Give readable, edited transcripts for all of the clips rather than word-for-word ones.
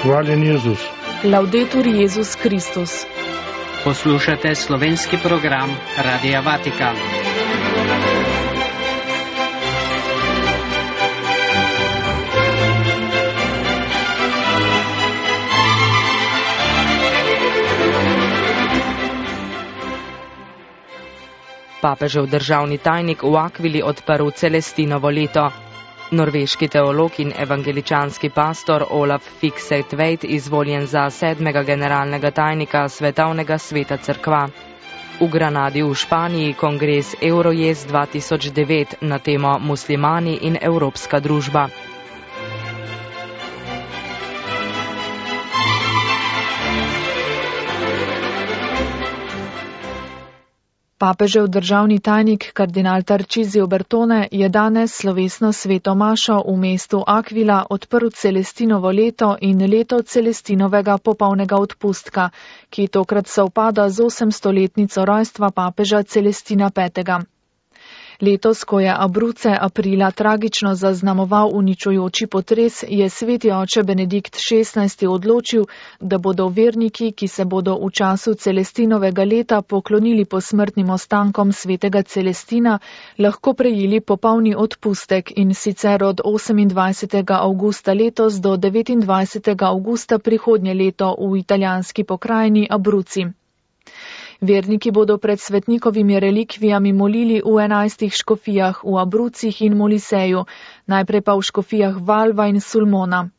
Hvaljen Jezus. Laudetur Jezus Kristus. Poslušate slovenski program Radia Vatikan. Papežev državni tajnik v Akvili odprl Celestinovo leto. Norveški teolog in evangeličanski pastor Olaf Fikse-Tveit izvoljen za 7. generalnega tajnika Svetovnega sveta cerkva. V Granadi v Španiji kongres Eurojez 2009 na temo Muslimani in evropska družba. Papežev državni tajnik kardinal Tarcisio Bertone je danes slovesno sveto mašo v mestu Akvila odprl Celestinovo leto in leto Celestinovega popolnega odpustka, ki tokrat sovpada z 800-letnico rojstva papeža Celestina V. Letos, ko je Abruzze aprila tragično zaznamoval uničujoči potres, je sveti oče Benedikt XVI odločil, da bodo verniki, ki se bodo v času Celestinovega leta poklonili posmrtnim ostankom svetega Celestina, lahko prejeli popolni odpustek in sicer od 28. avgusta letos do 29. avgusta prihodnje leto v italijanski pokrajini Abruzzi. Verniki bodo pred svetnikovimi relikvijami molili v 11 škofijah v Abruzzih in Moliseju, najprej pa v škofijah Valva in Sulmona.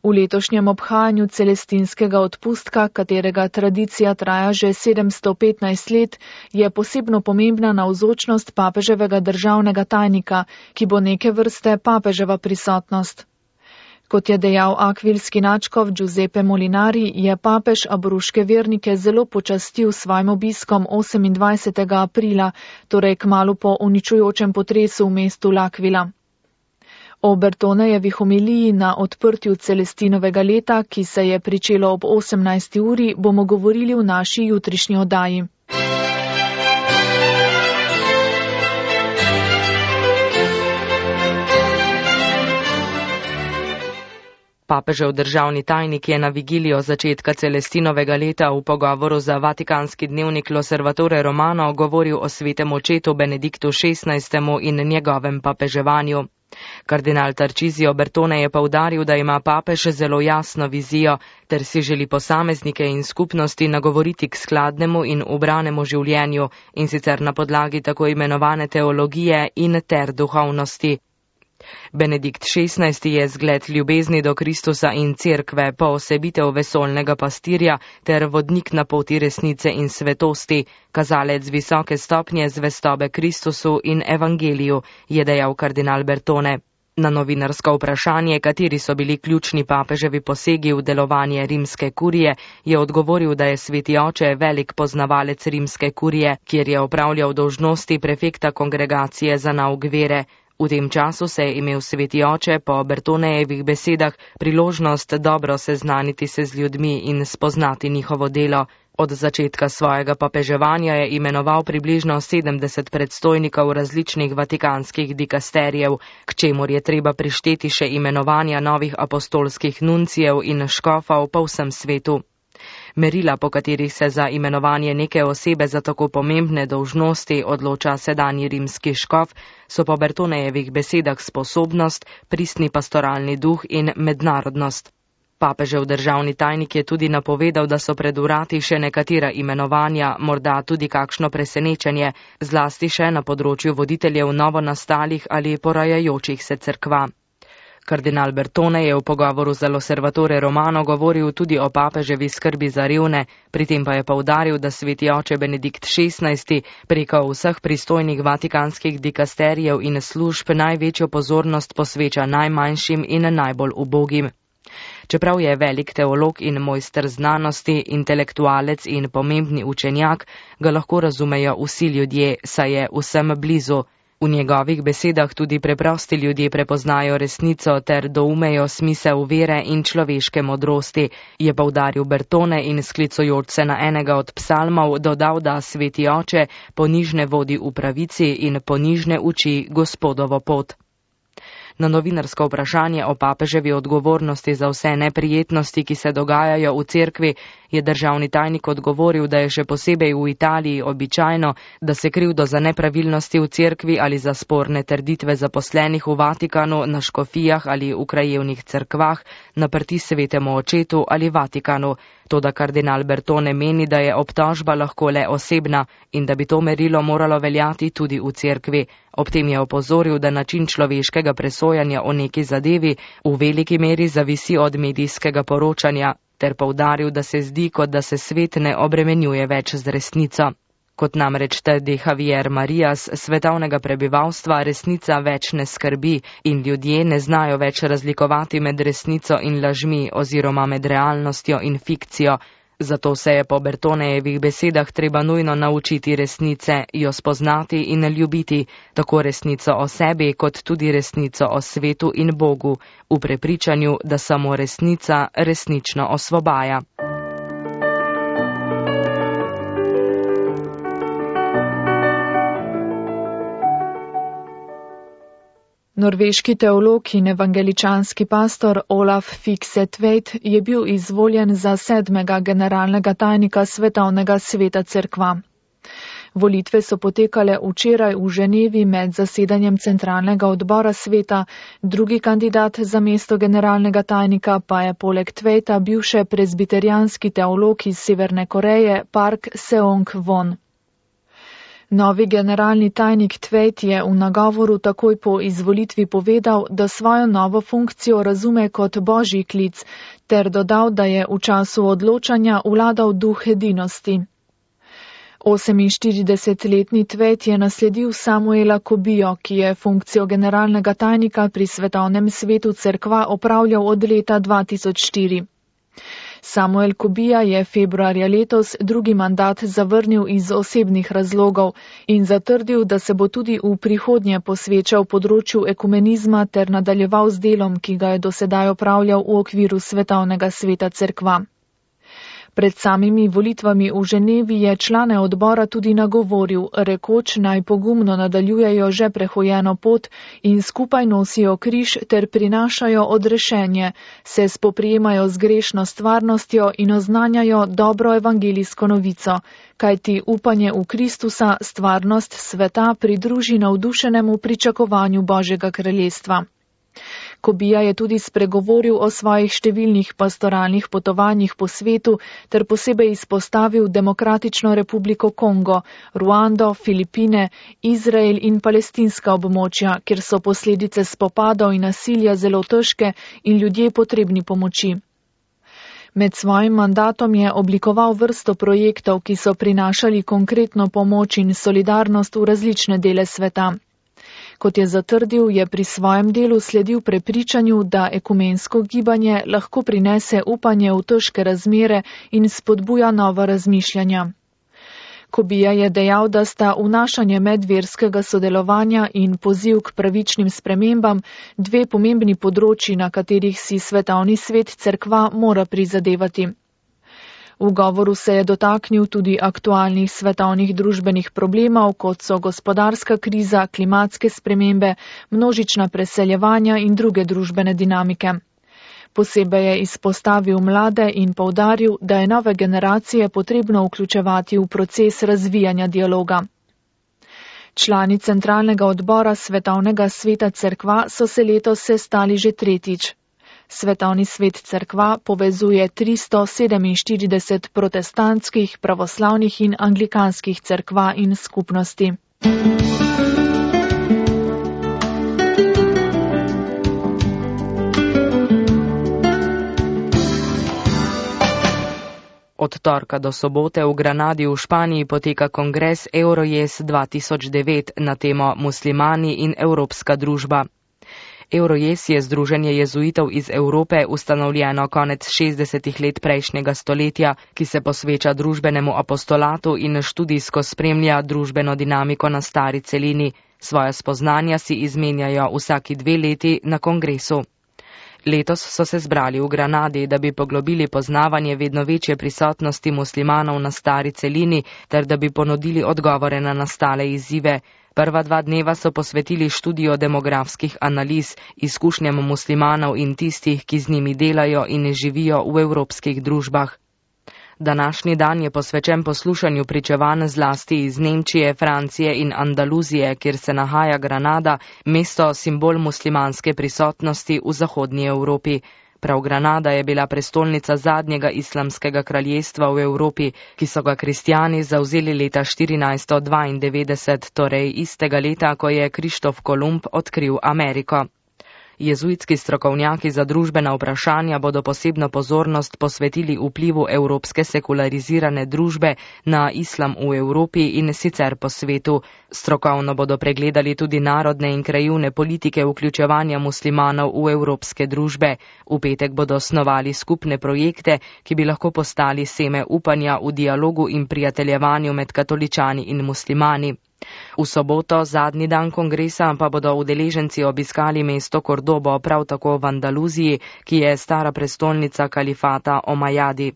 V letošnjem obhajanju celestinskega odpustka, katerega tradicija traja že 715 let, je posebno pomembna navzočnost papeževega državnega tajnika, ki bo neke vrste papeževa prisotnost. Kot je dejal akvilski nadškof Giuseppe Molinari, je papež abruške vernike zelo počastil s svojim obiskom 28. aprila, torej kmalu po uničujočem potresu v mestu L'Aquila. O Bertonejevih homiliji na odprtju Celestinovega leta, ki se je pričelo ob 18. uri, bomo govorili v naši jutrišnji oddaji. Papežev državni tajnik je na vigilijo začetka Celestinovega leta v pogovoru za vatikanski dnevnik L'Osservatore Romano govoril o svetem očetu Benediktu XVI. In njegovem papeževanju. Kardinal Tarcisio Bertone je poudaril, da ima papež zelo jasno vizijo, ter si želi posameznike in skupnosti nagovoriti k skladnemu in ubranemu življenju, in sicer na podlagi tako imenovane teologije in ter duhovnosti. Benedikt XVI. Je zgled ljubezni do Kristusa in cerkve, poosebitev vesoljnega pastirja ter vodnik na poti resnice in svetosti, kazalec visoke stopnje zvestobe Kristusu in evangeliju, je dejal kardinal Bertone. Na novinarsko vprašanje, kateri so bili ključni papeževi posegi v delovanje rimske kurije, je odgovoril, da je sveti oče velik poznavalec rimske kurije, kjer je opravljal dolžnosti prefekta kongregacije za nauk vere. V tem času se je imel sveti oče po Bertonejevih besedah priložnost dobro seznaniti se z ljudmi in spoznati njihovo delo. Od začetka svojega papeževanja je imenoval približno 70 predstojnikov različnih vatikanskih dikasterijev, k čemur je treba prišteti še imenovanja novih apostolskih nuncijev in škofov po vsem svetu. Merila, po katerih se za imenovanje neke osebe za tako pomembne dolžnosti odloča sedanji rimski škof, so po Bertonejevih besedah sposobnost, pristni pastoralni duh in mednarodnost. Papežev državni tajnik je tudi napovedal, da so pred vrati še nekatera imenovanja, morda tudi kakšno presenečenje, zlasti še na področju voditeljev novonastalih ali porajajočih se cerkva. Kardinal Bertone je v pogovoru za L'Osservatore Romano govoril tudi o papeževi skrbi za revne, pri tem pa je poudaril, da sveti oče Benedikt XVI. Preko vseh pristojnih vatikanskih dikasterijev in služb največjo pozornost posveča najmanjšim in najbolj ubogim. Čeprav je velik teolog in mojster znanosti, intelektualec in pomembni učenjak, ga lahko razumejo vsi ljudje, saj je vsem blizu. V njegovih besedah tudi preprosti ljudje prepoznajo resnico ter doumejo smisel vere in človeške modrosti, je poudaril Bertone in sklicujoč se na enega od psalmov dodal, da sveti oče ponižne vodi v pravici in ponižne uči Gospodovo pot. Na novinarsko vprašanje o papeževi odgovornosti za vse neprijetnosti, ki se dogajajo v cerkvi, je državni tajnik odgovoril, da je še posebej v Italiji običajno, da se krivdo za nepravilnosti v cerkvi ali za sporne trditve zaposlenih v Vatikanu, na škofijah ali v krajevnih cerkvah naprti svetemu očetu ali Vatikanu. Toda kardinal Bertone meni, da je obtožba lahko le osebna in da bi to merilo moralo veljati tudi v cerkvi. Ob tem je opozoril, da način človeškega presojanja o neki zadevi v veliki meri zavisi od medijskega poročanja, ter poudaril, da se zdi, kot da se svet ne obremenjuje več z resnico. Kot namreč trdi Javier Marias, svetovnega prebivalstva resnica več ne skrbi in ljudje ne znajo več razlikovati med resnico in lažmi oziroma med realnostjo in fikcijo. Zato se je po Bertonejevih besedah treba nujno naučiti resnice, jo spoznati in ljubiti, tako resnico o sebi kot tudi resnico o svetu in Bogu, v prepričanju, da samo resnica resnično osvobaja. Norveški teolog in evangeličanski pastor Olaf Fikse-Tveit je bil izvoljen za 7. generalnega tajnika Svetovnega sveta cerkva. Volitve so potekale včeraj v Ženevi med zasedanjem centralnega odbora sveta, drugi kandidat za mesto generalnega tajnika pa je poleg Tveita bil še prezbiterijanski teolog iz Severne Koreje Park Seong-won. Novi generalni tajnik Tveit je v nagovoru takoj po izvolitvi povedal, da svojo novo funkcijo razume kot božji klic, ter dodal, da je v času odločanja vladal duh edinosti. 48-letni Tveit je nasledil Samuela Kobijo, ki je funkcijo generalnega tajnika pri Svetovnem svetu cerkva opravljal od leta 2004. Samuel Kobija je februarja letos drugi mandat zavrnil iz osebnih razlogov in zatrdil, da se bo tudi v prihodnje posvečal področju ekumenizma ter nadaljeval z delom, ki ga je dosedaj opravljal v okviru Svetovnega sveta cerkva. Pred samimi volitvami v Ženevi je člane odbora tudi nagovoril, rekoč naj pogumno nadaljujejo že prehojeno pot in skupaj nosijo križ ter prinašajo odrešenje, se spoprijemajo z grešno stvarnostjo in oznanjajo dobro evangelijsko novico, kajti upanje v Kristusa stvarnost sveta pridruži navdušenemu pričakovanju Božjega kraljestva. Kobija je tudi spregovoril o svojih številnih pastoralnih potovanjih po svetu ter posebej izpostavil Demokratično republiko Kongo, Ruando, Filipine, Izrael in palestinska območja, kjer so posledice spopadov in nasilja zelo težke in ljudje potrebni pomoči. Med svojim mandatom je oblikoval vrsto projektov, ki so prinašali konkretno pomoč in solidarnost v različne dele sveta. Kot je zatrdil, je pri svojem delu sledil prepričanju, da ekumensko gibanje lahko prinese upanje v težke razmere in spodbuja nova razmišljanja. Kobija je dejal, da sta vnašanje medverskega sodelovanja in poziv k pravičnim spremembam dve pomembni področji, na katerih si Svetovni svet cerkva mora prizadevati. V govoru se je dotaknil tudi aktualnih svetovnih družbenih problemov, kot so gospodarska kriza, klimatske spremembe, množična preseljevanja in druge družbene dinamike. Posebej je izpostavil mlade in poudaril, da je nove generacije potrebno vključevati v proces razvijanja dialoga. Člani centralnega odbora Svetovnega sveta cerkva so se letos sestali že tretjič. Svetovni svet cerkva povezuje 347 protestantskih, pravoslavnih in anglikanskih cerkva in skupnosti. Od torka do sobote v Granadi v Španiji poteka kongres Eurojes 2009 na temo Muslimani in Evropska družba. Eurojes je združenje jezuitov iz Evrope, ustanovljeno konec 60. let prejšnjega stoletja, ki se posveča družbenemu apostolatu in študijsko spremlja družbeno dinamiko na stari celini. Svoja spoznanja si izmenjajo vsaki 2 leti na kongresu. Letos so se zbrali v Granadi, da bi poglobili poznavanje vedno večje prisotnosti muslimanov na stari celini, ter da bi ponudili odgovore na nastale izzive. Prva 2 dneva so posvetili študiju demografskih analiz, izkušnjam muslimanov in tistih, ki z njimi delajo in živijo v evropskih družbah. Današnji dan je posvečen poslušanju pričevanj zlasti iz Nemčije, Francije in Andaluzije, kjer se nahaja Granada, mesto simbol muslimanske prisotnosti v zahodnji Evropi. Prav Granada je bila prestolnica zadnjega islamskega kraljestva v Evropi, ki so ga kristjani zavzeli leta 1492, torej istega leta, ko je Krištof Kolumb odkril Ameriko. Jezuitski strokovnjaki za družbena vprašanja bodo posebno pozornost posvetili vplivu evropske sekularizirane družbe na islam v Evropi in sicer po svetu. Strokovno bodo pregledali tudi narodne in krajevne politike vključevanja muslimanov v evropske družbe. V petek bodo osnovali skupne projekte, ki bi lahko postali seme upanja v dialogu in prijateljevanju med katoličani in muslimani. V soboto, zadnji dan kongresa, pa bodo udeleženci obiskali mesto Kordobo, prav tako v Andaluziji, ki je stara prestolnica kalifata Omajadi.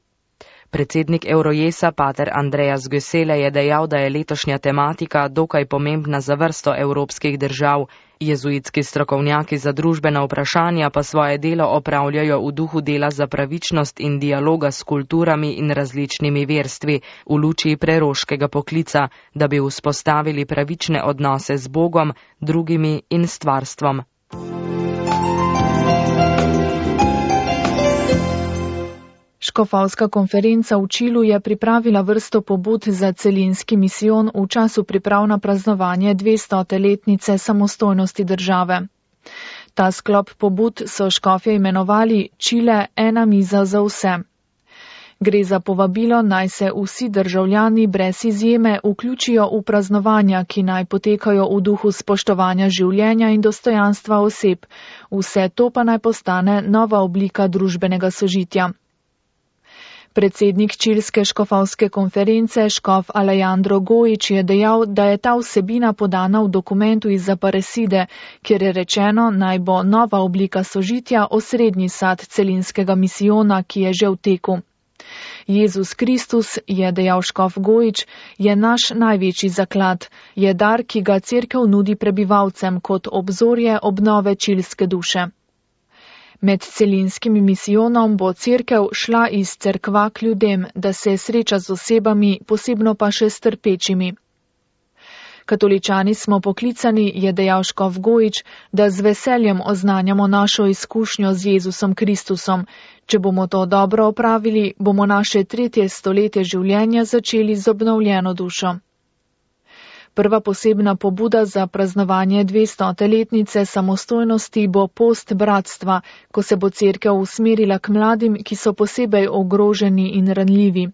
Predsednik Eurojesa, pater Andreas Gösele, je dejal, da je letošnja tematika dokaj pomembna za vrsto evropskih držav. Jezuitski strokovnjaki za družbena vprašanja pa svoje delo opravljajo v duhu dela za pravičnost in dialoga s kulturami in različnimi verstvi v luči preroškega poklica, da bi vzpostavili pravične odnose z Bogom, drugimi in stvarstvom. Škofovska konferenca v Čilu je pripravila vrsto pobud za celinski misijon v času priprav na praznovanje 200. letnice samostojnosti države. Ta sklop pobud so škofje imenovali Čile ena miza za vse. Gre za povabilo, naj se vsi državljani brez izjeme vključijo v praznovanja, ki naj potekajo v duhu spoštovanja življenja in dostojanstva oseb. Vse to pa naj postane nova oblika družbenega sožitja. Predsednik čilske škofovske konference, škof Alejandro Gojič, je dejal, da je ta vsebina podana v dokumentu iz Aparecide, kjer je rečeno, naj bo nova oblika sožitja osrednji sad celinskega misijona, ki je že v teku. Jezus Kristus, je dejal škof Gojič, je naš največji zaklad, je dar, ki ga cerkev nudi prebivalcem kot obzorje obnove čilske duše. Med celinskim misijonom bo cerkev šla iz cerkva k ljudem, da se sreča z osebami, posebno pa še s trpečimi. Katoličani smo poklicani, je dejal škof Gojič, da z veseljem oznanjamo našo izkušnjo z Jezusom Kristusom. Če bomo to dobro opravili, bomo naše 3. stoletje življenja začeli z obnovljeno dušo. Prva posebna pobuda za praznovanje 200. letnice samostojnosti bo post bratstva, ko se bo cerkev usmerila k mladim, ki so posebej ogroženi in ranljivi.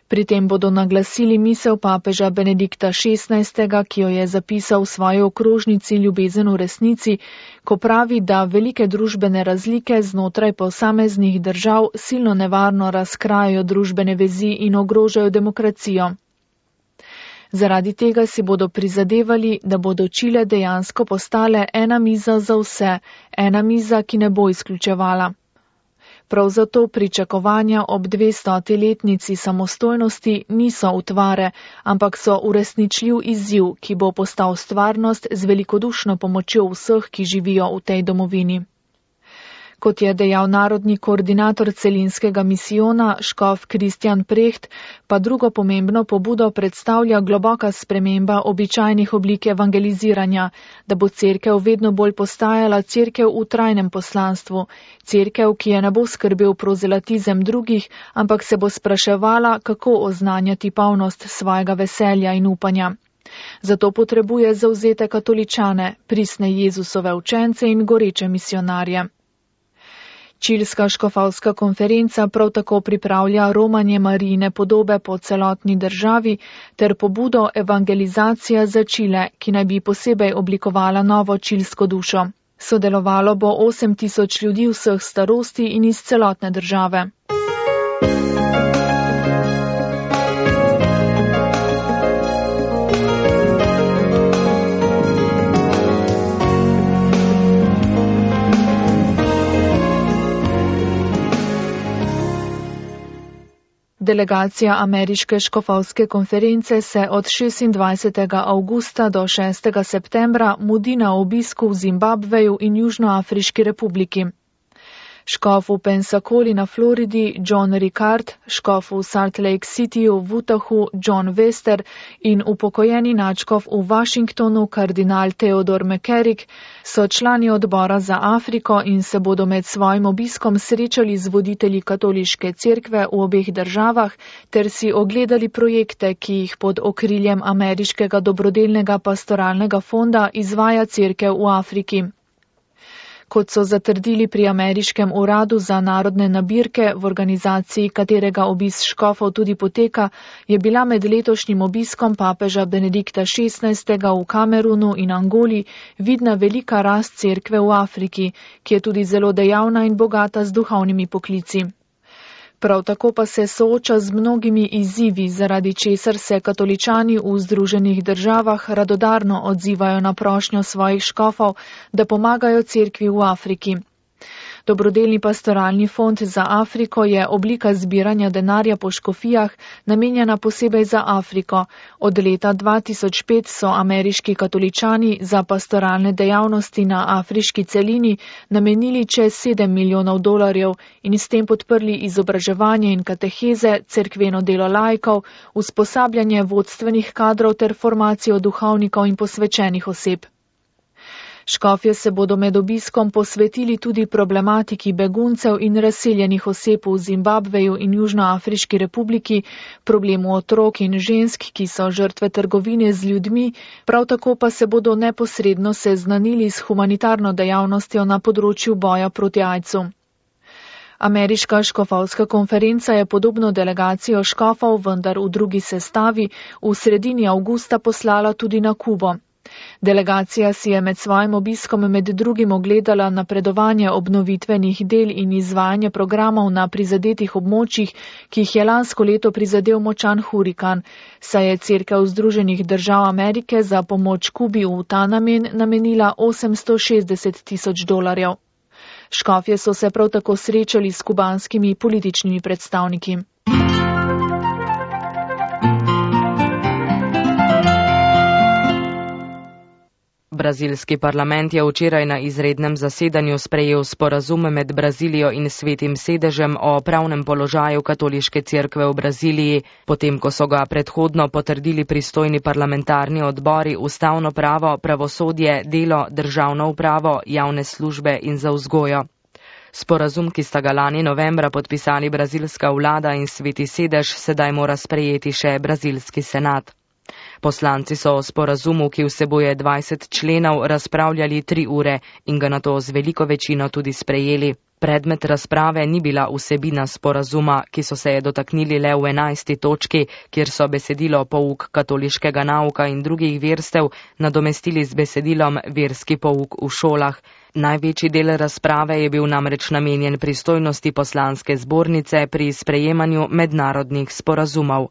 Pri tem bodo naglasili misel papeža Benedikta XVI, ki jo je zapisal v svoji okrožnici Ljubezen v resnici, ko pravi, da velike družbene razlike znotraj posameznih držav silno nevarno razkrajajo družbene vezi in ogrožajo demokracijo. Zaradi tega si bodo prizadevali, da bodo Čile dejansko postale ena miza za vse, ena miza, ki ne bo izključevala. Prav zato pričakovanja ob 200. letnici samostojnosti niso utvare, ampak so uresničljiv izziv, ki bo postal stvarnost z velikodušno pomočjo vseh, ki živijo v tej domovini. Kot je dejal narodni koordinator celinskega misijona, škof Kristjan Preht, pa drugo pomembno pobudo predstavlja globoka sprememba običajnih oblik evangeliziranja, da bo cerkev vedno bolj postajala cerkev v trajnem poslanstvu, cerkev, ki je ne bo skrbel prozelatizem drugih, ampak se bo spraševala, kako oznanjati polnost svojega veselja in upanja. Zato potrebuje zavzete katoličane, pristne Jezusove učence in goreče misionarje. Čilska škofovska konferenca prav tako pripravlja romanje Marijine podobe po celotni državi ter pobudo evangelizacija za Čile, ki naj bi posebej oblikovala novo čilsko dušo. Sodelovalo bo 8.000 ljudi vseh starosti in iz celotne države. Delegacija ameriške škofovske konference se od 26. avgusta do 6. septembra mudi na obisku v Zimbabveju in Južnoafriški republiki. Škof v Pensacoli na Floridi John Ricard, škof v Salt Lake Cityju v Utahu John Wester in upokojeni nadškof v Washingtonu kardinal Theodore McCarrick so člani odbora za Afriko in se bodo med svojim obiskom srečali z voditelji katoliške cerkve v obeh državah ter si ogledali projekte, ki jih pod okriljem ameriškega dobrodelnega pastoralnega fonda izvaja cerkev v Afriki. Kot so zatrdili pri ameriškem uradu za narodne nabirke, v organizaciji katerega obisk škofov tudi poteka, je bila med letošnjim obiskom papeža Benedikta XVI. V Kamerunu in Angoli vidna velika rast cerkve v Afriki, ki je tudi zelo dejavna in bogata z duhovnimi poklici. Prav tako pa se sooča z mnogimi izzivi, zaradi česar se katoličani v Združenih državah radodarno odzivajo na prošnjo svojih škofov, da pomagajo cerkvi v Afriki. Dobrodelni pastoralni fond za Afriko je oblika zbiranja denarja po škofijah, namenjena posebej za Afriko. Od leta 2005 so ameriški katoličani za pastoralne dejavnosti na afriški celini namenili čez $7 milijonov in s tem podprli izobraževanje in kateheze, cerkveno delo laikov, usposabljanje vodstvenih kadrov ter formacijo duhovnikov in posvečenih oseb. Škofje se bodo med obiskom posvetili tudi problematiki beguncev in razseljenih oseb v Zimbabveju in Južnoafriški republiki, problemu otrok in žensk, ki so žrtve trgovine z ljudmi, prav tako pa se bodo neposredno seznanili s humanitarno dejavnostjo na področju boja proti AIDS-u. Ameriška škofovska konferenca je podobno delegacijo škofov, vendar v drugi sestavi, v sredini avgusta poslala tudi na Kubo. Delegacija si je med svojim obiskom med drugim ogledala napredovanje obnovitvenih del in izvajanje programov na prizadetih območjih, ki jih je lansko leto prizadel močan hurikan, saj je cerkev Združenih držav Amerike za pomoč Kubi v ta namen namenila $860,000. Škofje so se prav tako srečali s kubanskimi političnimi predstavniki. Brazilski parlament je včeraj na izrednem zasedanju sprejel sporazum med Brazilijo in Svetim sedežem o pravnem položaju katoliške cerkve v Braziliji, potem ko so ga predhodno potrdili pristojni parlamentarni odbori ustavno pravo, pravosodje, delo, državno upravo, javne službe in za vzgojo. Sporazum, ki sta ga lani novembra podpisali brazilska vlada in Sveti sedež, sedaj mora sprejeti še brazilski senat. Poslanci so o sporazumu, ki vsebuje 20 členov, razpravljali 3 ure in ga nato z veliko večino tudi sprejeli. Predmet razprave ni bila vsebina sporazuma, ki so se je dotaknili le v 11. točki, kjer so besedilo pouk katoliškega nauka in drugih verstev nadomestili z besedilom verski pouk v šolah. Največji del razprave je bil namreč namenjen pristojnosti poslanske zbornice pri sprejemanju mednarodnih sporazumov.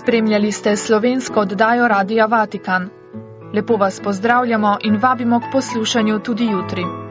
Spremljali ste slovensko oddajo Radia Vatikan. Lepo vas pozdravljamo in vabimo k poslušanju tudi jutri.